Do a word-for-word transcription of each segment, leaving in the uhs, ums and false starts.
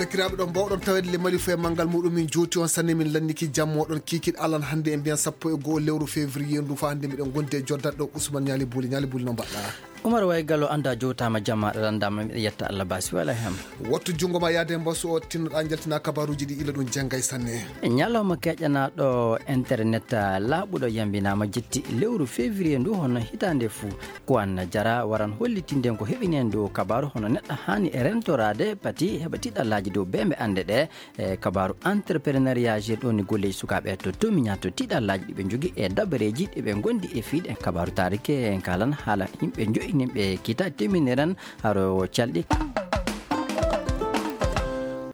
Sakiraaɓe, ɗon mbawɗon taweede le Mali fof e manngal muɗum. Min jooti on sanne, min lanniki jammo ɗon kiikiɗe alan hannde e mbiyan sappo e go'o lewru février ndu. Fa hannde miɗen ngondi e joddaɗo ɗo Ousmane Ñaali Buli. Ñaali Buli, no mbaɗɗaa? Umar Way Gallo, anndaa jowtaama jamma, aɗa lanndaama, miɗa yetta Allah baasi wala hem. Wattu junngo ma yaade e mbasu o, tinnoɗaa njaltinaa kabaaruuji ɗi ila ɗum jenngay sanne. Ñalawma keƴanaaɗo internet, ah, laaɓuɗo yambinaama jetti lewru février ndu hono hitaande fuu. Ko an jara waran hollitinde ko heɓineen ɗo kabaaru hono neɗɗo haani e rentoraade pati heɓa tiɗallaaji dow beembe annde ɗe. E kabaaru entrepreneuriat, jeeɗoni golleeji sukaaɓe to Tomiña to tiɗallaaji ɗi ɓe njogii e dabareeji ɗi ɓe ngondi e fiiɗe kabaaru taarike. En kaalan haala yimɓe njoyi nin ɓe kita teminiren haro calɗi.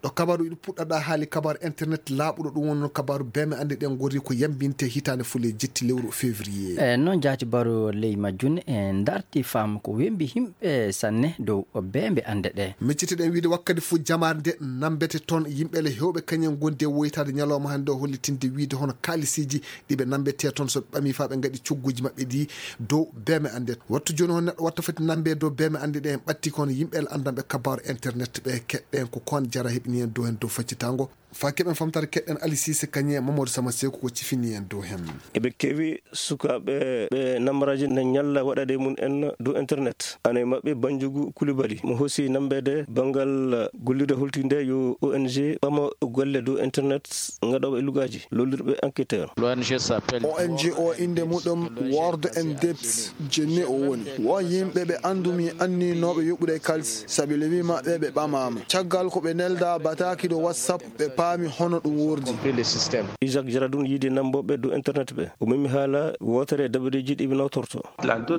Ɗo kabaaru iɗo puɗɗaɗa haali kabaaru internet laaɓuɗo, ɗum wonno kabaaru beembe annde ɗen ngori ko yambinte hitaande fuu le jetti lewru février. E noon jaati baro ley majjun e ndarti faam ko wembi yimɓe sanne dow beembe annde ɗe. Miccitiɗen wiide wakkati fof jamaare nde nambete toon yimɓe le hewɓe kañum ngondi e woytaade ñalawma hannde o hollitinde wiide hono kaalisiiji ɗi ɓe nambete toon so ɓe ɓami fa ɓe ngaɗi cogguuji maɓɓe ɗi dow beembe annde. Wattu jooni hon neɗɗo watta foti nambe dow beembe annde ɗe en ɓatti kono yimɓe le anndanɓe kabaaru internet ɓe keɗɗen ko kon jara heɓini en dow hen dow faccitango. Fa keɓen famtare keɗɗen Ali Sise Kañe Mamadou Sama Seku ko cifini en dow hen. Eɓe keewi sukaaɓe ɓe nambaraaji na ñalla waɗaade mum en dow internet. Ana e maɓɓe Banjugu Kulibali, mo hosi nambeede banngal gollirde holtinde yo O N G ɓama golle dow internet, ngaɗooɓe e lugaaji, lollirɓe enquêteur. L'O N G s'appelle O N G o innde muɗum World and Depths. Jenne o woni. Won yimɓe ɓe anndumi anninooɓe yoɓude e kalsi, sabi lewi maɓɓe ɓe ɓamaama. Caggal ko ɓe nelda bataaki dow WhatsApp, ɓe paami hono ɗum wordi. Compris le système. Isaac Jaradun yiide nambooɓe dow internet ɓe. O memi haala wootere e dabareeji ɗi ɓe nawtorto.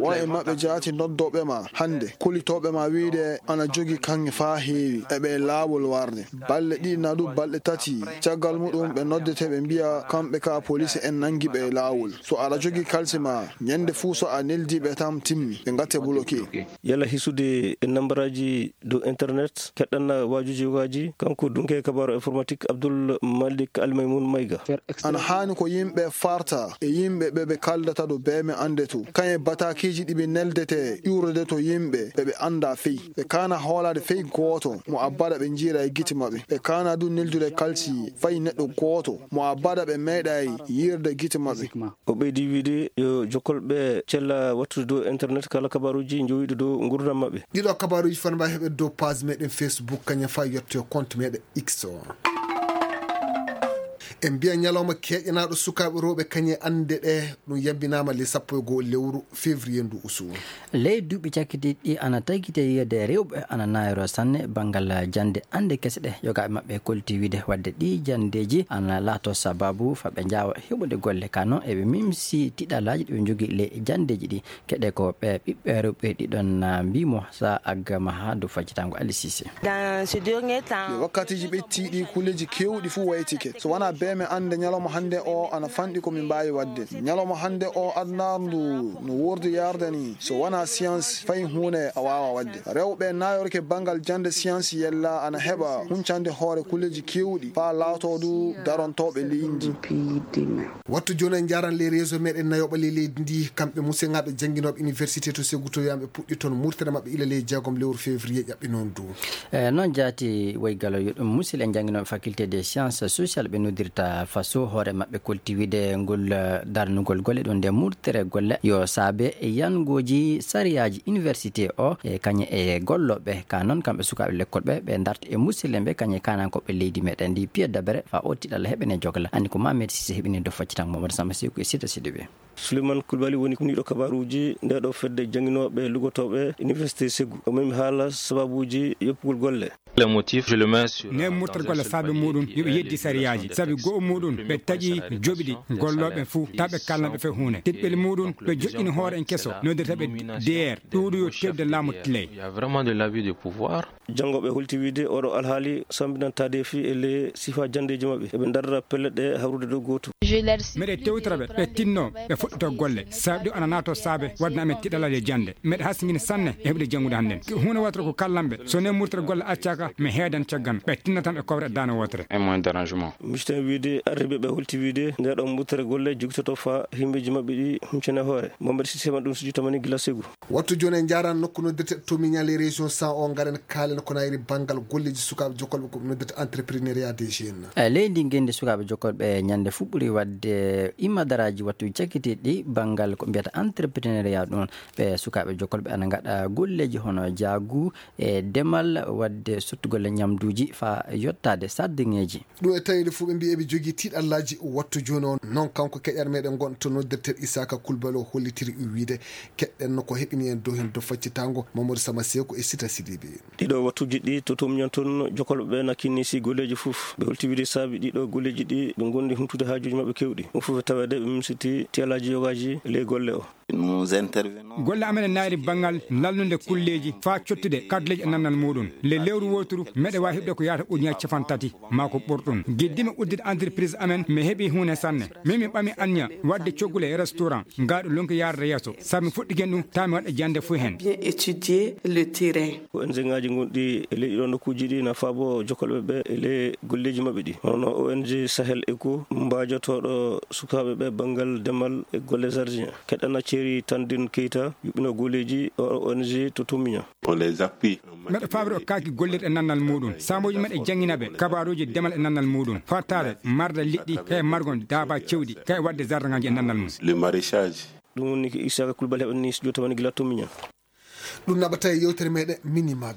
Won e maɓɓe jaati noddooɓe ma hannde, kulitooɓe ma wiide ana jogi kaŋŋe faa heewi, e ɓe laawol warde. Balɗe ɗiɗi naa du balɗe tati, caggal muɗum ɓe noddete ɓe mbiya kamɓe ka poliisi en nanngi ɓe e laawol. So aɗa jogi kalsi ma, ñande fuu so a neldi ɓe tan timmi, ɓe ngatte bloqué. Yalla hisude e nambaraaji dow internet, keɗɗanna waajuuji waaji, kanko dunke kabaaru informatique Abdul Malik Almaymun Mayga. Ana haani ko yimɓe farta e yimɓe ɓe ɓe kaldata dow beeme annde to. Kañe bataakiiji ɗi ɓe neldete ƴuurede to yimɓe ɓe ɓe annda fey. Ɓe kaana hoolaade fey gooto mo abbada ɓe njiira e gite maɓɓe. Ɓe kaana du neldude kalsi fay neɗɗo gooto mo abbada ɓe meeɗay yiirde gite maɓɓe. O ɓeydi wiide yo jokkolɓe cella wattude dow internet kala kabaaruuji njowiiɗo dow ngurdam maɓɓe. Ɗiɗo kabaaruuji fana mbawi heɓe dow page meɗen Facebook, kañum fa yetto compte meɗen X o. En mbiya ñalawma keƴanaaɗo sukaaɓe rewɓe kañe annde ɗe, ɗum yambinaama le sappo e go'o lewru février ndu usu. Ley duuɓi cakkitiiɗi ɗi ana tagite yiyeede rewɓe ana naayro sanne banngal jannde annde kese ɗe. Yogaaɓe maɓɓe kolti wiide wadde ɗi janndeeji ana laato sababu fa ɓe njaawa heɓude golle. Ka noon eɓe mimsi tiɗalaaji ɗi ɓe njogii ley janndeeji ɗi. Keɗe ko ɓe ɓiɓɓe rewɓe ɗiɗon, ah, mbimo sa aggama haa dow faccitango Ali Sise. Dans ce dernier temps, e wakkatiiji ɓettiiɗi, kulleeji keewɗi fuu waytike. So wonaa beeme annde ñalawma hannde o ana fanɗi ko min mbaawi waɗde. Ñalawma hannde o adnaaru ndu no wordi yarde ni. So wonaa science, fay huunde a waawaa waɗde. Rewɓe naayorke banngal jannde science yella ana heɓa huncande hoore kulleeji keewɗi faa laatoo du darontooɓe leydi ndi. Wattu jooni en njaaran les réseaux meɗen nayoɓa ley leydi ndi, kamɓe musidɓe jannginooɓe université to Ségou to yamɓe puɗɗi toon murtere maɓɓe ila ley jeegom lewru février ƴaɓɓi noon du. E noon jaati woy galo yo ɗum musidɓe jannginooɓe faculté des sciences sociales ɓe noddirta faso hoore maɓɓe kolti wiide ngol, eh, darnugol golle ɗum nde murtere golle yo saabe e yangooji sariyaaji université o e kañe e gollooɓe ka noon kamɓe sukaaɓe lekkol ɓe ɓe darta e musidɓe ɓe kañe kanankooɓe leydi meɗen ndi piye dabere fa o tiɗalla heɓene jogla. Anndi ko Mamed Sise heɓini do faccitan Mamadou Samba Seku e Sita Sidibé. Souleymane Coulibaly woni kuniiɗo kabaaruuji nde ɗo fedde jannginooɓe lugotooɓe Université Ségou. O memi haala sababuuji yoppugol golle. Le motif, je le mets sur, ne murtata golle saabe muɗum yo ɓe yeddi sariyaaji. Sabi go'o muɗum ɓe taƴi joɓiɗi gollooɓe fuu, ta ɓe kalna ɓe fe huunde. Teɗɓel muɗum ɓe joƴƴini hoore en keso, nodirta ɓe D R, ɗuuɗu yo tewde laamu tiley. Il y a vraiment de l'abus de pouvoir. Janngooɓe holti wiide oɗo alhaali sambinan taadeefi e le sifa janndeeji maɓɓe. Eɓe ndarra pellet ɗe hawrude dow gooto. Meɗe tewtora ɓe, ɓe tinno, ɓe fuɗɗito golle. Saabe ɗo ana naato saabe wadde amen tiɗalal e jannde. Meɗe hasingini sanne e heɓude janngude hannden. Huunde watata ko kallan ɓe. So ne murtere golle accaka, Mi heedan caggal, ɓe tinnatan ɓe kowre e daande wootere. Un moyen d'arrangement. Misten wiide arriɓe ɓe holti wiide nde ɗon muttere golle jogitoto faa himɓeji maɓɓe ɗi huncane hoore. Mohamed Sise man ɗum sujju tamani gila segu. Wattu jooni en njaran nokku noddirte Tomiña les régions sans o ngaren kaalen ko nayri banngal golleji sukaaɓe jokkolɓe ko noddirte entrepreneuriat des jeunes. E leydi ngenndi sukaaɓe jokkolɓe ñande fuɓɓuri waɗde imadaraaji wattu cakkitiiɗi banngal ko mbiyata entrepreneuriat ɗum. Ɓe sukaaɓe jokkolɓe ana ngaɗa golleji hono jaagu e demal waɗde sottugol e ñamduuji faa yottaade sardiŋeeji. Ɗum e tawi nde fof ɓe mbiyi eɓe jogii tiiɗallaaji wattu jooni o. Noon kanko keƴar meɗen ngon to noddirtel Isaaka Kulbali o hollitiri wiide keɗɗen no ko heɓini en dow heen dow faccitango Mamadou Sama Seeku e Sita Sidibe. Ɗiɗo wattuuji ɗi to Tomiña toon jokkolɓe ɓe na kinni si golleeji fof. Ɓe holti wiide saabi ɗiɗo golleeji ɗi ɓe ngondi humtude haajuuji maɓɓe kewɗi. Ɗum fof e taweede ɓe mimsiti tiyalaaji yogaaji ley golle o. Nous intervenons. Golle amen e naayri banngal lallunde kulleeji faa cottude kadleeji e nannal muuɗum. Le lewru wooturu meɗe waawi heɓde ko yaata ujunaaji capanɗe tati maa ko ɓurɗum. Giddimi uddude entreprise amen mi heɓi huunde sanne. Min mi ɓami anniya waɗde coggule e restaurant. Ngaaɗo lonki yaarde yeeso. Sabu mi fuɗɗiken ɗum taa mi waɗa jannde fof heen. Bien étudier le terrain. Ko O N G ngaaji gonɗi e leyɗi ɗo nokkuuji ɗi na faabo jokkolɓe ɓe e ley golleeji maɓɓe ɗi. Hono O N G Sahel Eco mbaajotooɗo sukaaɓe ɓe banngal demal e golle jardin. Keɗɗana Ceeri Tandin Keyta yuɓɓino golleeji o O N G to Tomiña. On les appuie. Meɗa faabri o kaaki gollirɗe nannal muuɗum. Saamooji meɗe janngina ɓe kabaaruuji demal e nannal muuɗum. Fartaare marde liɗɗi kay margon daaba cewɗi kay waɗde jardinŋaaji e nannal mum. Le maraîchage. Ɗum woni ko Isaka Kulbali heɓani studio tamani gila Tomiña. Ɗum naɓata e yewtere meɗen Minimag.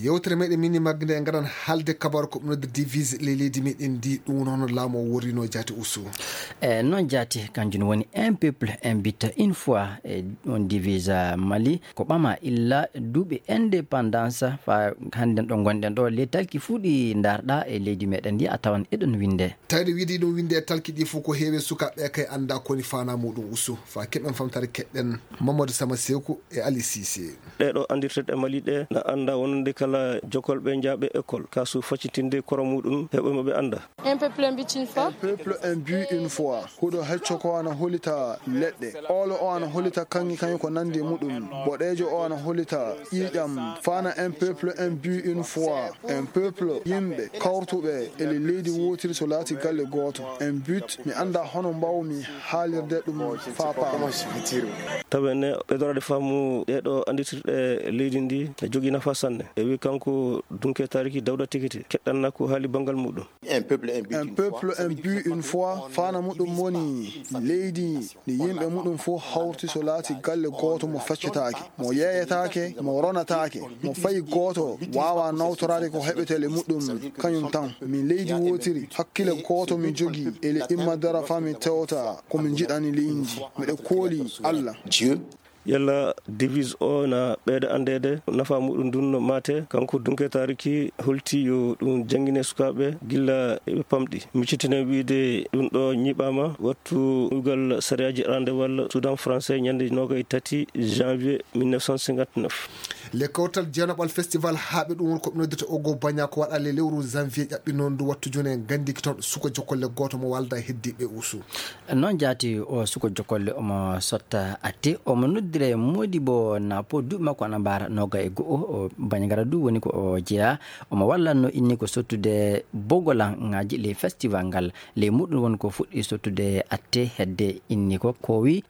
Yewtere meɗen Minimag nde ngaran haalde kabaru ko ɓe noddi divise ley leydi meɗen ndi, ɗum woni hono laamu o worrino jaati usu. E noon jaati kanjum woni un peuple un but une fois e on divise Mali ko ɓama illa duuɓi indépendance fa hannden ɗo gonɗen ɗo ley talki fuu ɗi ndarɗa e leydi meɗen ndi a tawan eɗon winde. Tawde wiide ɗum winde e talki ɗi fof ko heewi sukaaɓe kay annda koni faana muɗum usu. Fa keɓen famtare keɗɗen Mamadou Sama Seeku e Ali Sise. Ɗee ɗo anndirteɗe Mali ɗe na annda wonande kala jokkolɓe njaaɓe école kasu faccitinde koro muɗum heɓɓe mo ɓe annda. Un peuple un but une fois. Un peuple un but une fois. Huɗo hecco ko ana holita leɗɗe. Oolo o ana holita kaŋŋe kaŋŋe ko nandi e muɗum. Boɗeejo o ana holita ƴiiƴam. Faana un peuple un but une fois. Un peuple yimɓe kawrutuɓe e leydi wootiri so laati galle gooto. Un but mi annda hono mbaawmi haalirde ɗum faa paama. Tawi ne ɓeydoraade faamu ɗee ɗo anndirtirɗe leydi ndi e jogii nafa sanne. E wi kanko Dunke Tariki Dawda Tikiti keɗɗanna ko haali banngal muɗum. Un peuple un but une fois. Un peuple un but une fois. Faana muɗum woni leydi ndi yimɓe muɗum fof hawrti so laati galle gooto mo feccetaake, mo yeeyetaake, mo ronataake, mo fayi gooto waawa nawtoraade ko heɓetee le muɗum kañum tan. Min leydi wootiri, hakkile gooto mi jogii e le imma dara faa mi tewta ko mi njiɗani leydi. Miɗo kooli Allah. Dieu. Yalla divise o na ɓeyda anndeede nafa muɗum ndun no maate, kanko Dunke Tariki holti yo ɗum janngine sukaaɓe gilla eɓe pamɗi. Miccitinen wiide ɗum ɗo ñiɓaama wattu ugal sariyaaji arandewal Sudan français ñande noogay tati janvier mille neuf cent cinquante-neuf. Le kawtal jeenoɓal festival haaɓe ɗum woni ko ɓe noddata Ogo Baña ko waɗa le lewru janvier ƴaɓɓi noon ndu wattu jooni en nganndiki toon suka jokkolle gooto mo walda heddiɓe usu. Noon jaati o suko jokolle omo sotta atte omo noddire Modibo Napo duuɓi makko ana mbaara noga e go'o o Bañagara du woni ko o jeeya omo wallanno inni ko sottude bogolan ŋaaji ley festival ngal ley muɗum woni ko fuɗɗi sottude atte hedde inni ko kowi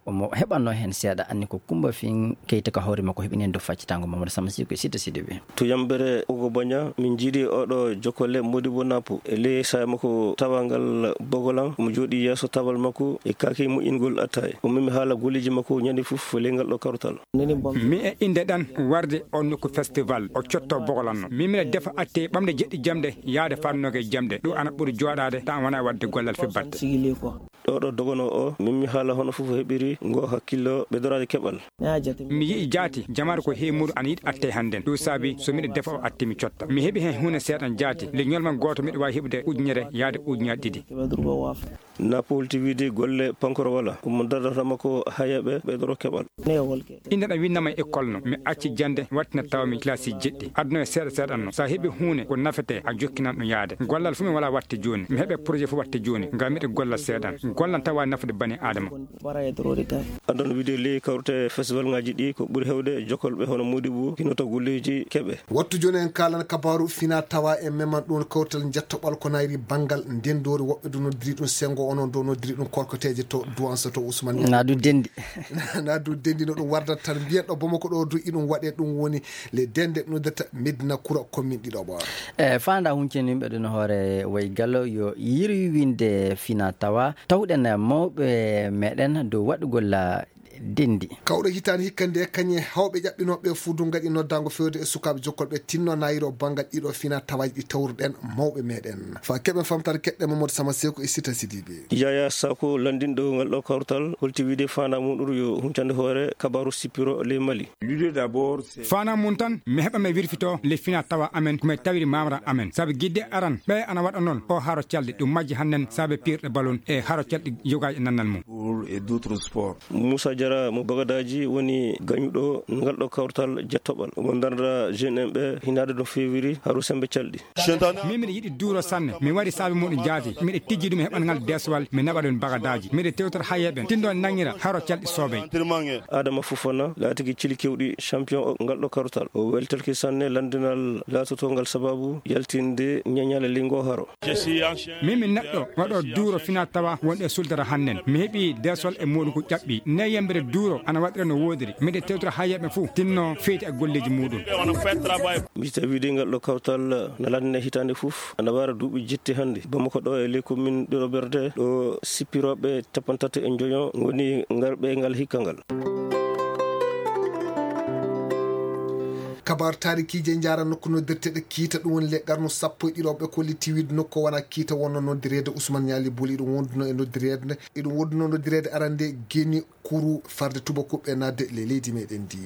omo heɓanno heen seeɗa anni ko Kumba Fin Keyta ka hoore makko heɓini heen dow faccitango Mamadou Samasi ko Sita Sidibe. To yambere Ogo Baña min njiidi oɗo jokkole Modibo Napo e ley saaya makko tawangal bogolan omo jooɗi yeeso tabal makko e kaaki moƴƴingol attaye o memi haala golleji makko ñande fof ley ngal ɗo karutal. Mi e innde ɗan warde on nokku festival o cotto bogolan no min miɗa defa atte ɓamde jeɗɗi jamɗe yaade fannoge jamɗe ɗum ana ɓuri jooɗaade tan wona wadde gollal fi batte. Ɗo ɗo dogono o min mi haala hono fof heɓiri ngo hakkillo ɓedoraade keɓal. Mi yi'i jaati jamaare ko heewi muɗum ana yiɗi atte hannden ɗum saabi so miɗo defa o atte mi cotta mi heɓi heen huunde seeɗan jaati le ñolman gooto miɗo waawi heɓude ujunere yaade ujunaji ɗiɗi. Napoli tv de golle pankoro wala omo dardatama ko hayaɓe ɓeydoro keɓal. Inde ɗam winnama e école no mi acci jande wattina tawmi classe jeɗɗi aduna e seeɗa seeɗan no sa heɓi huunde ko nafete a jokkinan ɗum yaade gollal fof mi wala watte jooni mi heɓe projet fof watte jooni ngam miɗo golla seeɗan. Ko lan tawa nafude bani Aadama. Adon video ley kawrte festival ngaji ɗi ko ɓuri hewde jokolɓe hono Modibo kinoto golleji keɓe. Wattu jooni en kaalan kabaaru fina tawa e meman ɗum kawtal jettoɓal ko nayri banngal ndendoori woɓɓe du noddiri ɗum sengo onon do noddiri ɗum korkoteeje to duwansa to Ousmane. Na du dendi. Na du dendi no ɗum wardat tan mbiyen ɗo Bamako ɗo du iɗum waɗe ɗum woni le dende noddata Medina Kura commune ɗiɗo ɓoora. E faanda huncen yimɓe ɗum hoore way gallo yo yirwinde fina tawa tawɗen mawɓe meɗen dow waɗugol dendi. Kawɗo hitaani hikka nde kañe hawɓe ƴaɓɓinooɓe fuu du ngaɗi noddaango feewde e sukaaɓe jokkolɓe tinno nayiro banngal ɗiɗo fina tawaaji ɗi tawruɗen mawɓe meɗen. Fa keɓen famtaade keɗɗe Mamadou Sama Seko e Sita Sidibe. Yaya Sako lanndinɗo ngal ɗo kawtal holti wiide faandaa muɗum yo huncande hoore kabaaru sippiro ley Mali. Faandaa mum tan mi heɓa mi wirfito le fina tawa amen ko mi tawiri mamra amen sabu gidde aran ɓe ana waɗa noon o haro calɗi ɗum majji hannen saabe pirɗe balon e haro calɗi yoga e nannal mum. Moussa Diarra mo Bagadaji woni gañuɗo ngal ɗo kawtal jettoɓal omo darda jeune en ɓe hinaade no feewiri haro sembe calɗi. Min miɗa yiɗi duuro sanne mi waɗi saabe muɗum jaati miɗa tijji ɗum e heɓangal deswal mi naɓa ɗum Bagadaji miɗa tewtor hayeɓen tinɗo nangira haro calɗi soobey. Adama Fofana laatigi cili kewɗi champion o ngal ɗo kawtal o weltelki sanne lanndinal laatotongal sababu yaltinde ñañale lingo haro. Min mi neɗɗo waɗo duuro fina tawa wonɗe suldara hannen mi heɓi desol e muɗum ko ƴaɓɓi ne yembere duuro ana waɗira no woodiri miɗe tewtora hayeɓe fof tinno feyti e golleji muɗum. Mi tawi de ngal ɗo kawtal na lanndine hitaande fof ana wara duuɓi jetti hannde Bamako ɗo e ley commune ɗiɗo ɓerde ɗo sippiroɓe capantato e joyo ngoni ngarɓe ngal hikka ngal. Kabar taarikiije njaara nokku noddirteeɗo kiita ɗum woni le qarnu sappo e ɗiɗo ɓe kolli tiwiiɗo nokku wona kiita wonno noddireede Ousmane Ñaali Boli ɗum wonduno e noddireede iɗum wonduno noddireede arande geni kuru farde tubakuɓe nadde le leydi meɗen ndi.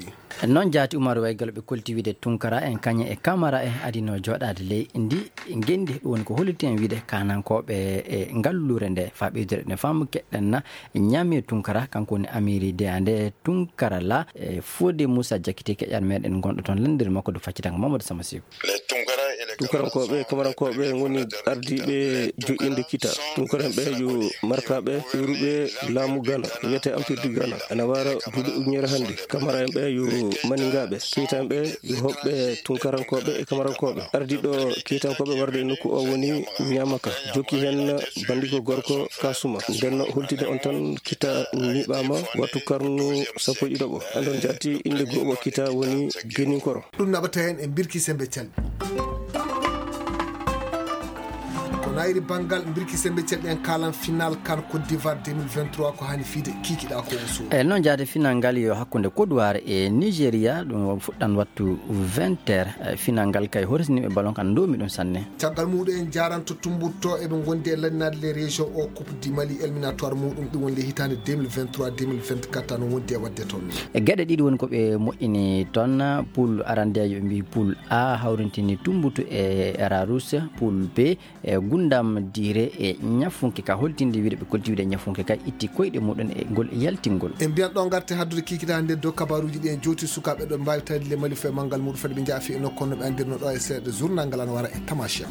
Noon jaati Umaru Waygal ɓe kolti wiide Tunkara en kañe e Kamara en adino jooɗaade ley ndi ngenndi ɗum woni ko holliti en wiide kanankooɓe e ngallure nde faa ɓeydore ne faamu keɗɗen na ñaami Tunkara kanko woni Amiri Deyande Tunkara la e Fodé Moussa Diakité keƴan meɗen gonɗo toon lanndir makko do faccitanga Mamadou Sama Seko. Tunkarankooɓe e Kamarankooɓe ngoni ardiiɓe joƴƴinde kita. Tunkaranɓe yo markaaɓe iwruɓe laamu Gana wiyetee Empire du Gana ana wara duuɓi ujunere hannde. Kamara en ɓe yo maningaaɓe. Keyta en ɓe yo hoɓɓe Tunkarankooɓe e Kamarankooɓe. Ardiiɗo keytankooɓe warde e nokku o woni Ñamaka. Jokki heen bandiko gorko Kasuma. Nden holtide on tan kita ñiiɓaama wattu karnu sappo e ɗiɗo ɓo. Andon jaati innde gooɓo kita woni Geninkoro. Ɗum naɓata heen e mbirki sembe calɗi. Ko nayri banngal mbirki sembe calɗi en kaalan final kan Côte d'Ivoire deux mille vingt-trois ko hani fiide kikiɗa ko o suuɗa. E noon jaade final ngal yo hakkunde Côte d'Ivoire e Nigeria ɗum fuɗɗan wattu vingt heures. E final ngal kay horesniɓe ballon kan ndoomi ɗum sanne. Caggal muɗum en jaranto tumbutto eɓe gondi e lannade les régions o Coupe du Mali éliminatoire muɗum ɗum woni le hitande deux mille vingt-trois deux mille vingt-quatre tan wondi e wadde toon. E geɗe ɗiɗi woni ko ɓe moƴƴini toon poule arandejo ɓe mbi poule A hawrintini tumbutu e Ararus poule B e gundam dire e ñafunke ka holtinde wiide ɓe kolti wiide ñafunke ka itti koyɗe muɗum e ngol yaltingol. En mbiyan ɗo garte haddude kikita hannde dow kabaruji ɗi en jowti sukaɓe ɗo mbawi tawde le Mali fo e manngal muɗum fadi ɓe jaafi e nokku no ɓe andirno ɗo e seeɗa journal ngal ana wara e Tamasia.